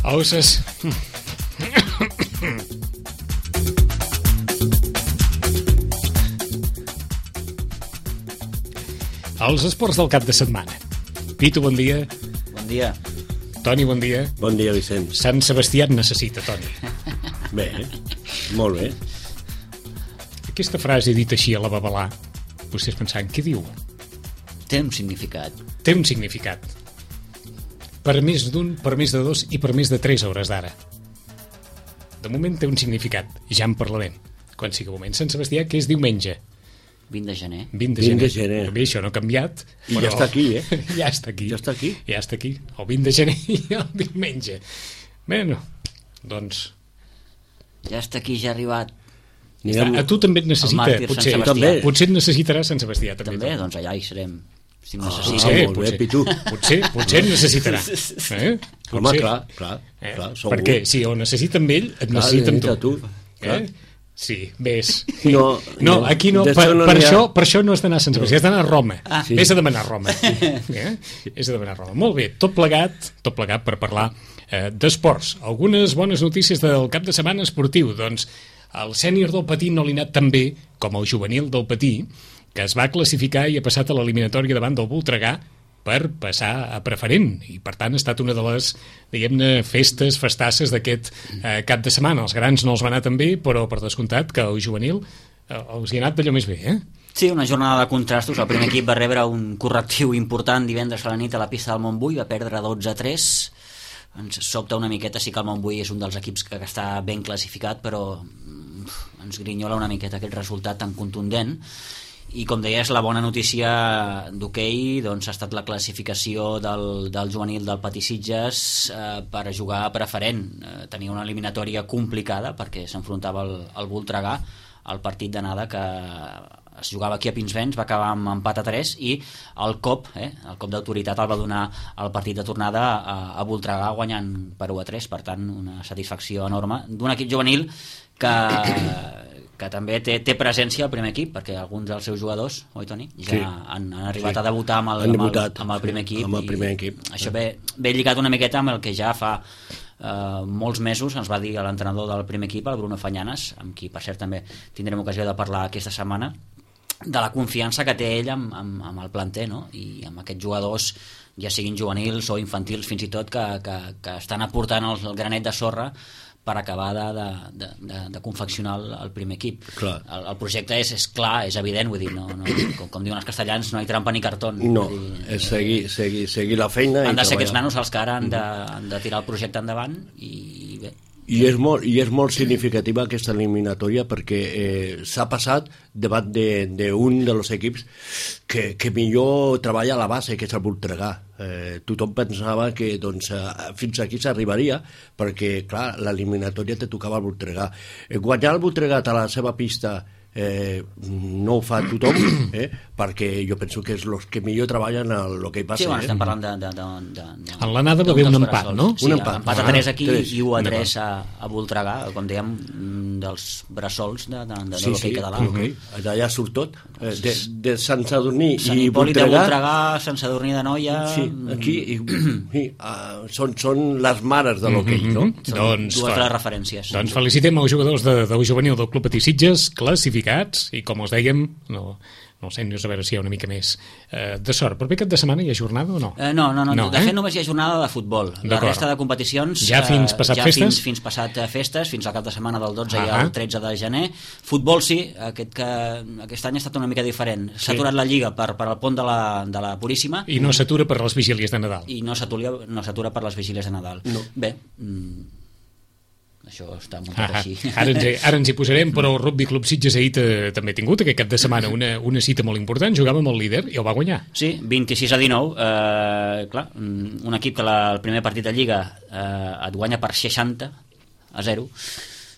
Osses. Els esports del cap de setmana. Pitu, bon dia. Bon dia. Toni, bon dia. Bon dia, Vicent. Sant Sebastià et necessita, Toni. Bé, molt bé. Aquesta frase dit així a la babalà, vostès pensant, què diu? Té un significat. Té un significat. Per més d'un, per més de dos i per més de 3 hores d'ara. De moment té un significat, i ja en parlarem. Quan sigui moment Sant Sebastià, que és diumenge. 20 de gener. 20 de gener. Bé, això no ha canviat. I ja està aquí, eh? Ja està aquí. Ja està aquí. Ja està aquí. El 20 de gener i el diumenge. Bueno, doncs... Ja està aquí, ja ha arribat. A tu també et necessita, potser. Potser et necessitarà Sant Sebastià. També, doncs allà hi serem. Si potser et necessitarà. Home, clar. Per què? Si ho necessita amb ell, et necessita amb tu. Sí, ves. No, aquí no, per això no has d'anar a Sant Sebastià, has d'anar a Roma. Ves a demanar a Roma. És a demanar a Roma. Molt bé, tot plegat per parlar d'esports. Algunes bones notícies del cap de setmana esportiu. Doncs el sènior del Patí no li ha anat tan bé com el juvenil del Patí, que es va classificar i ha passat a l'eliminatòria davant del Voltregà per passar a preferent, i per tant ha estat una de les, diguem-ne, festasses d'aquest cap de setmana. Els grans no els va anar tan bé, però per descomptat que el juvenil els hi ha anat d'allò més bé, Sí, una jornada de contrastos. El primer equip va rebre un correctiu important divendres a la nit a la pista del Montbui, va perdre 12-3. Ens sobta una miqueta, sí que el Montbui és un dels equips que està ben classificat, però ens grinyola una miqueta aquest resultat tan contundent. I com deies, la bona notícia d'hoquei doncs, ha estat la classificació del juvenil del Patí Sitges per jugar a preferent. Tenia una eliminatòria complicada perquè s'enfrontava al Voltregà. El partit d'anada que es jugava aquí a Pinsbens va acabar amb empat a 3 i el cop d'autoritat el va donar el partit de tornada a Voltregà guanyant per 1-3. Per tant, una satisfacció enorme d'un equip juvenil que també té presència al primer equip, perquè alguns dels seus jugadors, oi Toni, ja han arribat a debutar amb el primer equip. Això ve lligat una miqueta amb el que ja fa molts mesos ens va dir l'entrenador del primer equip, el Bruno Fanyanes, amb qui per cert també tindrem ocasió de parlar aquesta setmana, de la confiança que té ell amb el planter, no? I amb aquests jugadors, ja siguin juvenils o infantils fins i tot, que estan aportant el granet de sorra per acabar de confeccionar el primer equip. El projecte és clar, és evident, vull dir, com diuen els castellans, no hi trampa ni cartó. No, és seguir la feina. Han de ser aquests nanos els que ara han de tirar el projecte endavant i bé. I és molt significativa aquesta eliminatòria perquè s'ha passat davant d'un dels equips que millor treballa a la base, que és el Voltregà. Tothom pensava que fins aquí s'arribaria perquè, clar, l'eliminatòria te tocava al Voltregà. Guanyar el Voltregà a la seva pista no ho fa tothom, perquè jo penso que és els que millor treballen a l'hoquei base. Sí, bueno, estem parlant en l'anada va haver un empat, no? Sí, empat a 3 aquí i 1-3 a Voltregà, com dèiem, dels bressols de l'hoquei català. Allà surt tot, de Sant Sadurní i Voltregà, Sant Sadurní de Noia. Sí, aquí són les mares de l'hoquei, no? Dues de les referències. Doncs felicitem els jugadors del juvenil del Club Patí Sitges, classificats, i com us dèiem, no sé, a veure si hi ha una mica més de sort. Però aquest cap de setmana hi ha jornada o no? No, de fet només hi ha jornada de futbol. La resta de competicions ja fins passat festes? Fins passat festes, fins al cap de setmana del 12 i el 13 de gener. Futbol sí, aquest any ha estat una mica diferent. S'ha aturat la Lliga per al pont de la Puríssima. I no s'atura per les vigílies de Nadal. I no s'atura per les vigílies de Nadal. Bé, això està muntat així. Ara ens hi posarem, però el Rugby Club Sitges ahir també ha tingut aquest cap de setmana una cita molt important, jugava amb el líder i el va guanyar. Sí, 26-19, clar, un equip que el primer partit de Lliga et guanya per 60-0,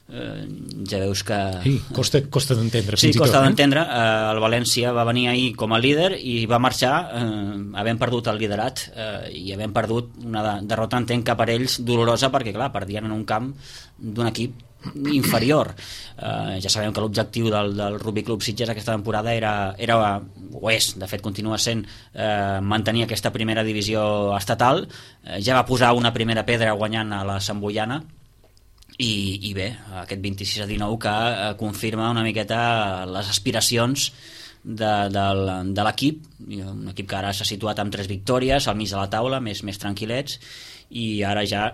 ja veus que... Sí, costa d'entendre. Sí, costa d'entendre. El València va venir ahir com a líder i va marxar havent perdut el liderat i havent perdut una derrota, entenc que per ells dolorosa, perquè clar, perdien en un camp d'un equip inferior. Ja sabem que l'objectiu del Rugby Club Sitges aquesta temporada era o és, de fet continua sent, mantenir aquesta primera divisió estatal. Ja va posar una primera pedra guanyant a la Santboiana i bé, aquest 26-19 que confirma una miqueta les aspiracions de l'equip, un equip que ara s'ha situat amb 3 victòries al mig de la taula, més tranquil·lets, i ara ja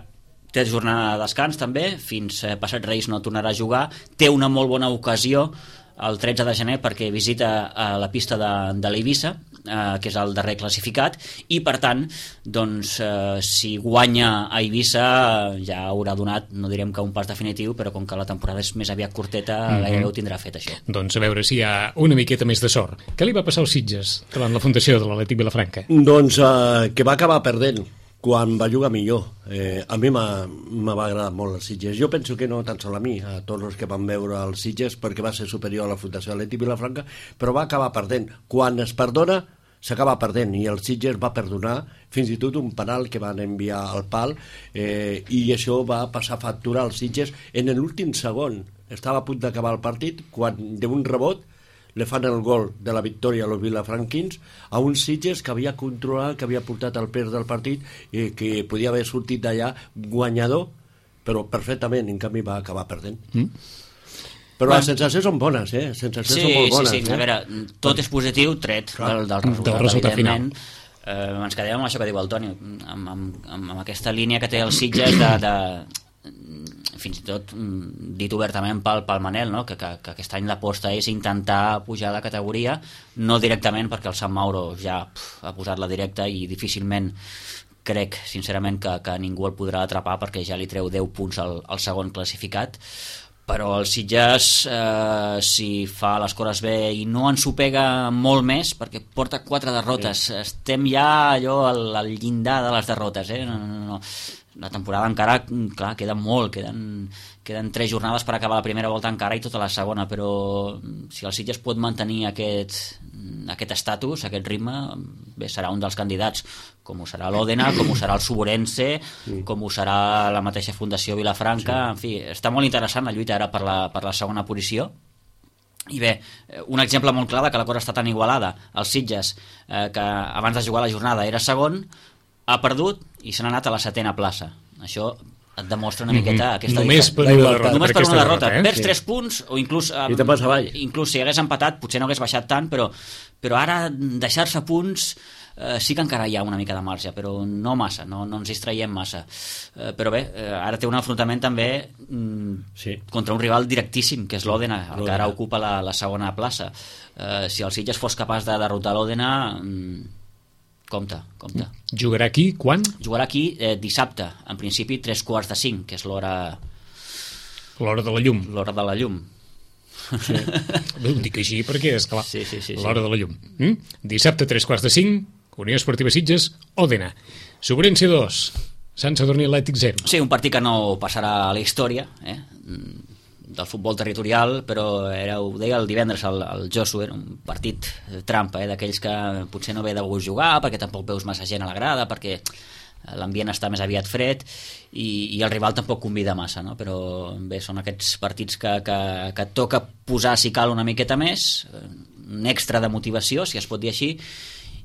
té jornada de descans també, fins passat Reis no tornarà a jugar. Té una molt bona ocasió el 13 de gener perquè visita la pista de l'Eivissa, que és el darrer classificat, i per tant doncs, si guanya a Eivissa ja haurà donat, no direm que un pas definitiu, però com que la temporada és més aviat curteta, gairebé ho tindrà fet això. Doncs a veure si hi ha una miqueta més de sort. Què li va passar als Sitges davant la fundació de l'Atlètic Vilafranca? Doncs que va acabar perdent quan va jugar millor. A mi m'ha agradat molt els Sitges. Jo penso que no tan sol a mi, a tots els que van veure els Sitges, perquè va ser superior a la Fundació Atlètic Vilafranca, però va acabar perdent. Quan es perdona, s'acaba perdent, i el Sitges va perdonar fins i tot un penal que van enviar al pal, i això va passar factura als Sitges en l'últim segon. Estava a punt d'acabar el partit quan d'un rebot le fan el gol de la victòria a los vilafranquins, a un Sitges que havia controlat, que havia portat el pes del partit i que podia haver sortit d'allà guanyador, però perfectament, en canvi va acabar perdent. Però les sensacions són bones, sensacions són molt bones. Sí, a veure, tot és positiu, tret del resultat final. Ens quedem amb això que diu el Toni, amb aquesta línia que té el Sitges de fins i tot dit obertament pel Manel, no? que aquest any l'aposta és intentar pujar de categoria, no directament perquè el Sant Mauro ja ha posat la directa i difícilment crec sincerament que ningú el podrà atrapar perquè ja li treu 10 punts al segon classificat, però el Sitges si fa les coses bé i no ens ho pega molt més perquè porta 4 derrotes, estem ja allò al llindar de les derrotes, no. La temporada encara, clar, queda molt, queden 3 jornades per acabar la primera volta encara i tota la segona, però si el Sitges pot mantenir aquest estatus, aquest ritme, bé, serà un dels candidats, com ho serà l'Òdena, com ho serà el Suborense, com ho serà la mateixa Fundació Vilafranca, en fi, està molt interessant la lluita ara per la segona posició. I bé, un exemple molt clar que la cosa està tan igualada, el Sitges, que abans de jugar la jornada era segon, ha perdut i se n'ha anat a la 7ª plaça. Això et demostra una miqueta aquesta només diferència. Només per una derrota. Perds 3 punts o inclús si hagués empatat potser no hagués baixat tant, però ara deixar-se punts sí que encara hi ha una mica de marge, però no massa, no ens distraiem massa. Però bé, ara té un enfrontament també contra un rival directíssim, que és l'Òdena, el que ara ocupa la segona plaça. Si el Sitges fos capaç de derrotar l'Òdena, compte. Jugarà aquí quan? Jugarà aquí dissabte, en principi 3:45, que és l'hora de la llum. L'hora de la llum. Sí. Ho dic així perquè és clar, sí. l'hora de la llum. Dissabte 3:45, Unió Esportiva Sitges, Òdena. Suborense 2, Sant Sadurní Atlètic 0. Sí, un partit que no passarà a la història, del futbol territorial, però ho deia el divendres el Josu, era un partit trampa, d'aquells que potser no ve de gust jugar, perquè tampoc veus massa gent a la grada, perquè l'ambient està més aviat fred i el rival tampoc convida massa, no? Però bé, són aquests partits que toca posar, si cal, una miqueta més, un extra de motivació, si es pot dir així,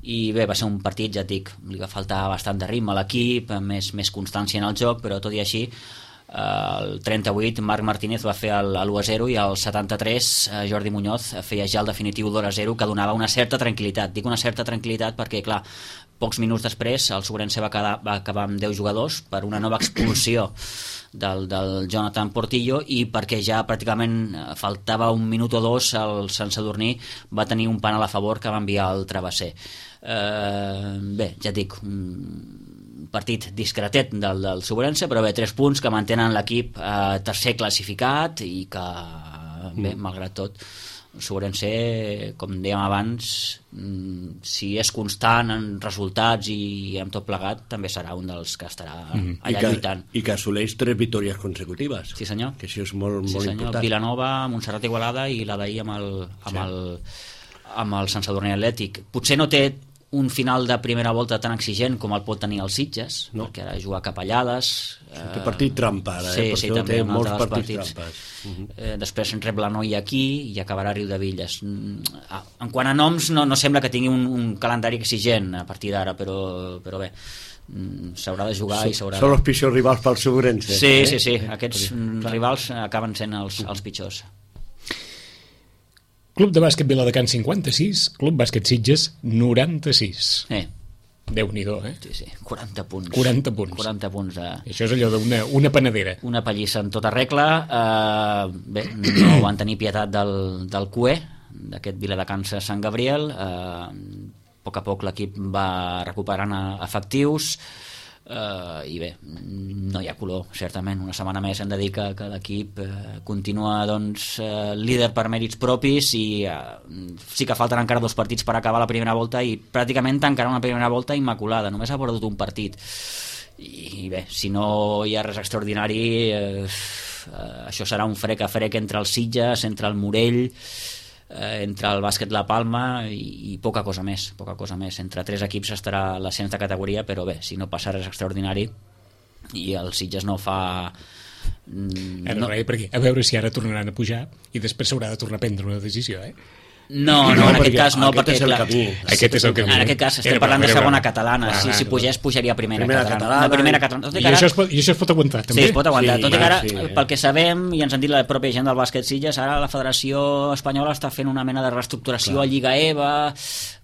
i bé, va ser un partit, ja et dic, li va faltar bastant de ritme a l'equip, més constància en el joc, però tot i així el 38 Marc Martínez va fer l'1-0 i al 73 Jordi Muñoz feia ja el definitiu l'1-0 que donava una certa tranquil·litat. Dic una certa tranquil·litat perquè, clar, pocs minuts després el Suborense va acabar amb 10 jugadors per una nova expulsió del Jonathan Portillo i perquè ja pràcticament faltava un minut o dos el Sant Sadurní va tenir un penal a favor que va enviar el Travesser. Bé, ja et dic, partit discretet del Suborense, però bé, 3 punts que mantenen l'equip tercer classificat i que, bé, malgrat tot Sobrense, com dèiem abans, si és constant en resultats i amb tot plegat, també serà un dels que estarà allà lluitant. I que assoleix 3 victòries consecutives. Sí, senyor. Que això és molt important. Vilanova, Montserrat, Igualada i la d'ahir amb el Sant Sadurní Atlètic. Potser no té un final de primera volta tan exigent com el pot tenir els Sitges, perquè ara juga cap a Llades. Té partit trampa, sí, també, té molts partits trampes. Després en rep la Noia aquí i acabarà a Riudevilles. En quant a noms, no sembla que tingui un calendari exigent a partir d'ara, però bé, s'haurà de jugar i s'haurà de... Són els pitjors rivals pel Sobrense. Sí, aquests rivals acaben sent els pitjors. Club de bàsquet Viladecans 56, Club bàsquet Sitges 96. Déu-n'hi-do, Sí, 40 punts. 40 punts. 40 punts de... Això és allò d'una panadera. Una pallissa en tota regla. Bé, no van tenir pietat del CUE, d'aquest Viladecans Sant Gabriel. A poc a poc l'equip va recuperant efectius. I bé, no hi ha color, certament. Una setmana més hem de dir que l'equip continua líder per mèrits propis i sí que falten encara 2 partits per acabar la primera volta i pràcticament tancarà una primera volta immaculada. Només ha perdut un partit i bé, si no hi ha res extraordinari, això serà un frec a frec entre els Sitges, entre el Morell, entre el bàsquet La Palma i poca cosa més. Entre 3 equips estarà l'ascens de categoria, però bé, si no passa res extraordinari i el Sitges no fa... perquè a veure si ara tornaran a pujar i després s'haurà de tornar a prendre una decisió, No, en aquest cas no, perquè és el camí. Aquest és el camí. En aquest cas estem parlant de segona catalana. Si pugés, pujaria a primera catalana. I això es pot aguantar, també? Sí, es pot aguantar. Tot i que ara, pel que sabem, i ens han dit la pròpia gent del bàsquet Sitges, ara la Federació Espanyola està fent una mena de reestructuració a Lliga EVA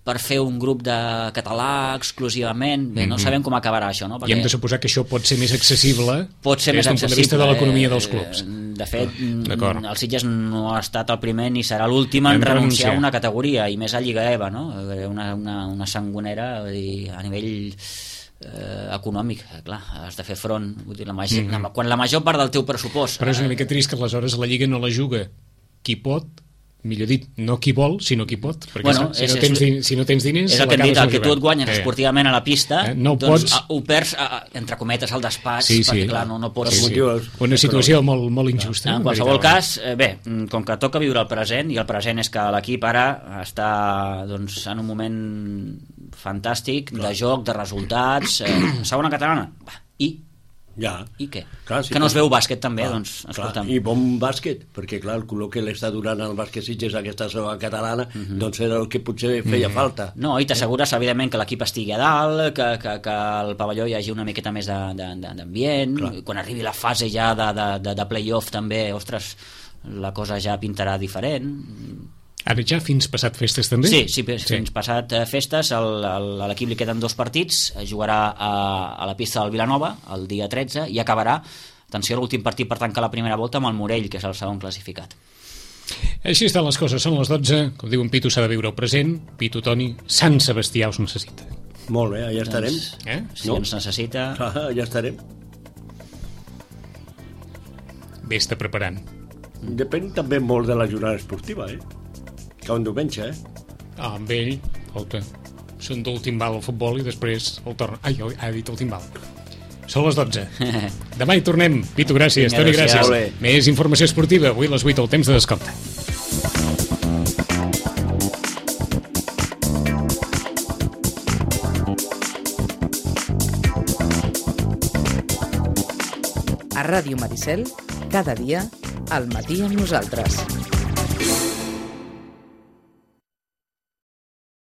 per fer un grup de català exclusivament. Bé, no sabem com acabarà això, no? I hem de suposar que això pot ser més accessible des d'un punt de vista de l'economia dels clubs. De fet, el Sitges no ha estat el primer ni serà l'últim en renunciar a una categoria, i més a Lliga EVA, no? Una sangonera a nivell econòmic, clar, has de fer front. Vull dir, quan la major part del teu pressupost... Però és una mica trist que aleshores la Lliga no la juga qui pot, millor dit, no qui vol, sinó qui pot, perquè si no tens diners... És el que hem dit, el que tu et guanyes esportivament a la pista, ho perds, entre cometes, al despatx, perquè clar, no pots... Una situació molt injusta. En qualsevol cas, bé, com que toca viure el present, i el present és que l'equip ara està en un moment fantàstic de joc, de resultats, segona catalana, i què? Clar, que no es veu bàsquet també, escolta'm. I bon bàsquet, perquè clar, el color que l'està durant el bàsquet Sitges aquesta segona catalana, era el que potser feia falta. No, i t'assegures evidentment que l'equip estigui a dalt, que al pavelló hi hagi una miqueta més d'ambient, quan arribi la fase ja de play-off també, ostres, la cosa ja pintarà diferent. Ara ja fins passat festes també? Sí, fins passat festes. A l'equip li queden 2 partits, jugarà a la pista del Vilanova el dia 13 i acabarà, atenció, l'últim partit per tancar la primera volta amb el Morell, que és el segon classificat. Així estan les coses, són les 12, com diu en Pitu, s'ha de viure el present. Pitu, Toni, Sant Sebastià us necessita. Molt bé, allà estarem. Si ens necessita... Allà estarem. Vés-te preparant. Depèn també molt de la jornada esportiva, que un diumenge, amb ell, escolta, són d'últim val al futbol i després el torn... ha dit últim val. Són les 12. Demà hi tornem. Pitu, gràcies. Toni, gràcies. Més informació esportiva. Avui a les 8, el temps de descompte. A Ràdio Maricel, cada dia, al matí amb nosaltres.